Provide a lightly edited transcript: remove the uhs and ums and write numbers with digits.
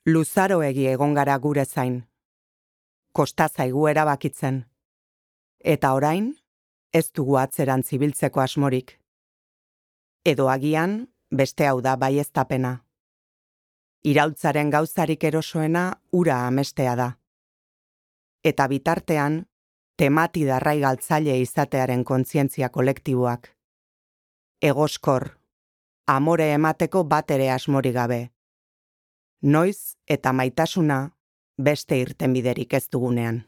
Luzaroegi egon gara gure zain. Kosta zaigu erabakitzen. Eta orain, ez dugu atzerantz ibiltzeko asmorik. Edo agian, beste hau da baieztapena. Iraultzaren gauzarik erosoena ura amestea da. Eta bitartean, temati darrai galtzaile izatearen kontzientzia kolektiboak. Egoskor, amore emateko bat ere asmori gabe. Noiz eta maitasuna beste irtenbiderik ez dugunean.